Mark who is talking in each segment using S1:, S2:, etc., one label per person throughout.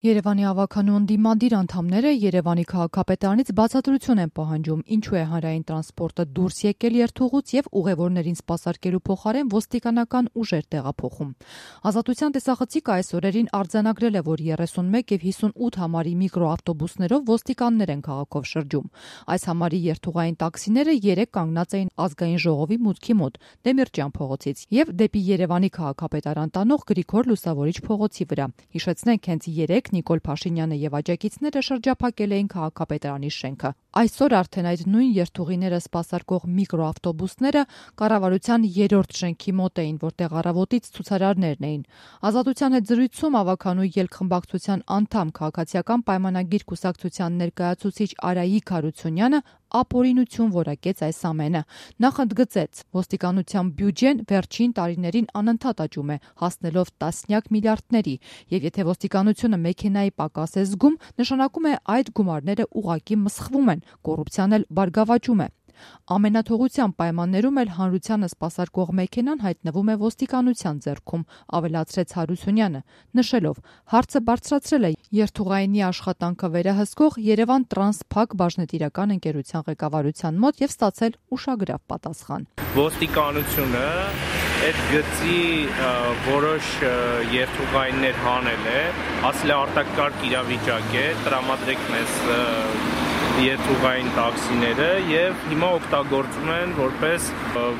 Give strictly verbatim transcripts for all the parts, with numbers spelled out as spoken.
S1: Երևանի ավագանու ընդդիմադիր անդամները Երևանի քաղաքապետարանից բացատրություն են պահանջում, ինչու է հանրային տրանսպորտը դուրս եկել երթուղուց եւ ուղևորներին սպասարկելու փոխարեն ոստիկանական ուժեր տեղափոխում։ Ազատության տեսախցիկը այս օրերին արձանագրել է, որ երեսունմեկ եւ հիսունութ համարի միկրոավտոբուսներով ոստիկաններ են քաղաքով շրջում։ Այս համարի երթուղային տաքսիները երեկ կանգնած էին Ազգային ժողովի մուտքի մոտ Դեմիրճյան փողոցից եւ դեպի Երևանի քաղաքապետարան տանող Գրիգոր Լուսավորիչ փողոցի վրա։ Հիշեցնենք, հենց երեկ Նիկոլ Փաշինյանը եւ աջակիցները շրջափակել էին քաղաքապետարանի շենքը։ Այսօր արդեն այդ նույն երթուղիները սպասարկող միկրոավտոբուսները կառավարության երրորդ շենքի մոտ էին, որտեղ առավոտից ցուցարարներն էին։ Ազատության հետ զրույցում ավագանու ելքխմբակցության անդամ քաղաքացիական պայմանագիր կուսակցության ներկայացուցիչ Արայիկ Հարությունյանը ապօրինություն որակեց այս ամենը։ Նախ ընդգծեց, ոստիկանության բյուջեն վերջին տարիներին անընդհատ աճում է, հասնելով տասնյակ միլիարդների, եւ եթե ոստիկանությունը մեքենայի պակաս է զգում, նշանակում է այդ գումարները ուղղակի մսխվում են, կոռուպցիան էլ բարգավաճում է։ Ամենաթողության պայմաններում էլ հանրությանը սպասարկող մեքենան հայտնվում է ոստիկանության ձեռքում, ավելացրեց Հարությունյանը, նշելով, հարցը բարձրացրել է երթուղայինի աշխատանքը վերահսկող Երևան Տրանս Փակ բաժնետիրական ընկերության ղեկավարության մոտ եւ ստացել ուշագրավ պատասխան։
S2: Ոստիկանությունը այդ գծի որոշ երթուղայիններ հանել է, ասել է արտակարգ իրավիճակ է, տրամադրեք մեզ երթուղային տաքսիները եւ հիմա օգտագործում են որպես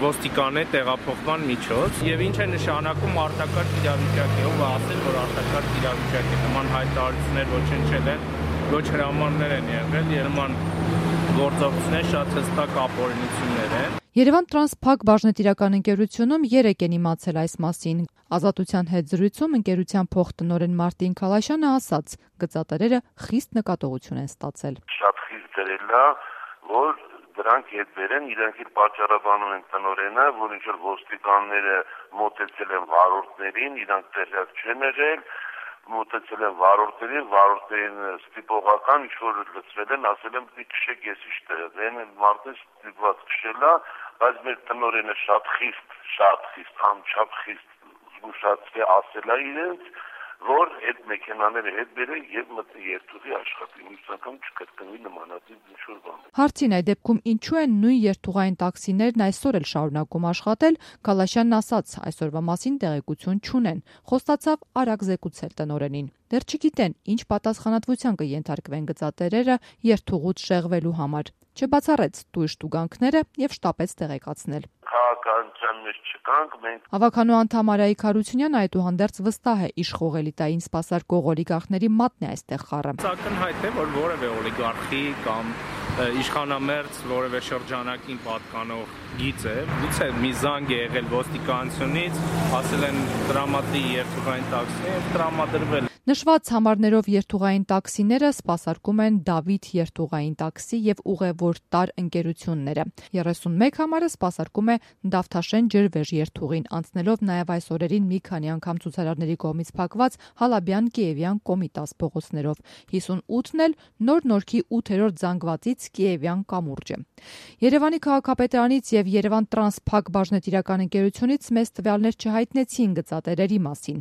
S2: ոստիկանե տեղափոխման միջոց եւ ինչ է նշանակում արտակարգ իրավիճակ է, ով ասել որ արտակարգ իրավիճակ է, նման հայտարարություններ ոչնչել են, ոչ հրամաններ են եղել, նման գործողություններ շատ հստակ ապօրինություններ են։
S1: Երևան Տրանս Փակ բաժնետիրական ընկերությունում երեկ են իմացել այս մասին։ Ազատության հետ զրույցում ընկերության փոխտնօրեն Մարտին Քալաշյանը ասաց, գծատերերը խիստ նկատողություն են ստացել։
S3: Շատ խիստ դրել է, որ դրանք հետ բերեն, իրենք էլ պատճառաբանում են տնօրենը, որ ինչ որ ոստիկանները մոտեցել են վարորդներին, իրանք տեղյակ չեն եղել, մոտեցել են վարորդներին, վարորդներին ստիպողական ինչ-որ լծվել են, ասել են պիտի քշեք ես ինչ տեղ են, մարդը ստիպված քշել է, բայց մեր տնօրենը շատ խիստ, շատ խիստ, անչափ խիստ զգուշացրել ասել է իրենց, որ այդ մեքենաները հետ բերեն եւ մտի երթուղի աշխատի, մյուս անգամ չկրկնվի նմանատիպ ինչ-որ բան։
S1: Հարցին այդ դեպքում ինչու են նույն երթուղային տաքսիներն այսօր էլ շարունակում աշխատել, Քալաշյանն ասաց, այսօրվա մասին տեղեկություն չունեն, խոստացավ արագ զեկուցել տնօրենին։ Դեռ չգիտեն, ինչ պատասխանատվության կենթարկվեն գծատերերը երթուղուց շեղվելու համար։ Չբացառեց տույժ տուգանքները եւ շտապեց տեղեկացնել։
S3: Քաղաքականության մեջ չկանք մենք։
S1: Ավագանու անդամ Արայիկ Հարությունյանը այդուհանդերձ վստահ է, իշխող էլիտային սպասարկող օլիգարխների մատն է այստեղ խառը։
S2: Ակնհայտ է, որ որևէ օլիգարխի կամ իշխանամերձ որևէ շրջանակին պատկանող գիծ է, գուցե մի զանգ է եղել ոստիկանությունից, ասել են տրամադրի երթուղային տաքսի եւ տրամադրվել։
S1: Նշված համարներով երթուղային տաքսիները սպասարկում են Դավիթ երթուղային տաքսի եւ ուղևորտար ընկերությունները։ երեսունմեկ համարը սպասարկում է Դավթաշեն ջրվեժ երթուղին, անցնելով նաեւ այս օրերին մի քանի անգամ ցուցարարների կողմից փակված Հալաբյան-Կիևյան Կոմիտաս փողոցներով։ հիսունութն էլ նոր նորքի ութերորդ զանգվածից Կիևյան կամուրջը։ Երևանի քաղաքապետարանից եւ Երևան Տրանս Փակ բաժնետիրական ընկերությունից մեծ տվյալներ չհայտնեցին գծատերերի մասին։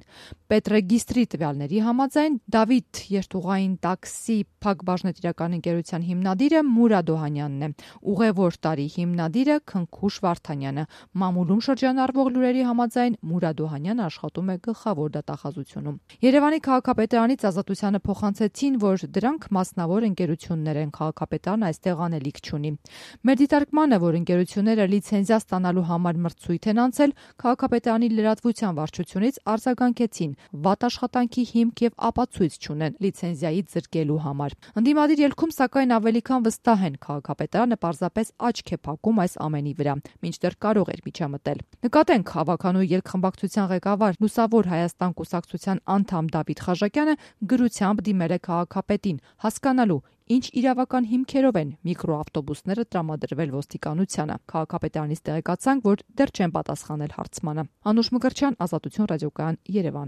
S1: Պետրեգիստրի տվյալների համաձայն Դավիթ երթուղային տաքսի Փակ բաժնետիրական ընկերության հիմնադիրը Մուրադ Օհանյանն է, ուղևորտարի հիմնադիրը Քնքուշ Վարդանյանը։ Մամուլում շրջանառվող լուրերի համաձայն Մուրադ Օհանյանը աշխատում է գլխավոր դատախազությունում։ Երևանի քաղաքապետարանից Ազատությանը փոխանցեցին, որ դրանք մասնավոր ընկերություններ են, քաղաքապետարանը այստեղ անելիք չունի։ Մեր դիտարկմանը, որ ընկերությունները լիցենզիա ստանալու համար մրցույթ են անցել, քաղաքապետարանի լրատվության վարչությունից արձագանքեցին վատ աշխատանքի հիմք եւ ապացույց չունեն լիցենզիայի զրկելու համար։ Ընդդիմադիր ելքում սակայն ավելի քան վստահ են, քաղաքապետարանը պարզապես աչք է փակում այս ամենի վրա, մինչդեռ կարող էր միջամտել։ Նկատենք, ավագանու ելքխմբակցության ղեկավար Լուսավոր Հայաստան կուսակցության անդամ Դավիթ Խաչակյանը գրությամբ դիմել է քաղաքապետին, հասկանալու ինչ իրավական հիմքերով են միկրոավտոբուսները տրամադրվել ոստիկանությանը։ Քաղաքապետարանից տեղեկացանք, որ դեռ չեն պատասխանել հարցմանը։ Անուշ Մկրտչյան, Ազատություն ռադիոկայան, Երևան։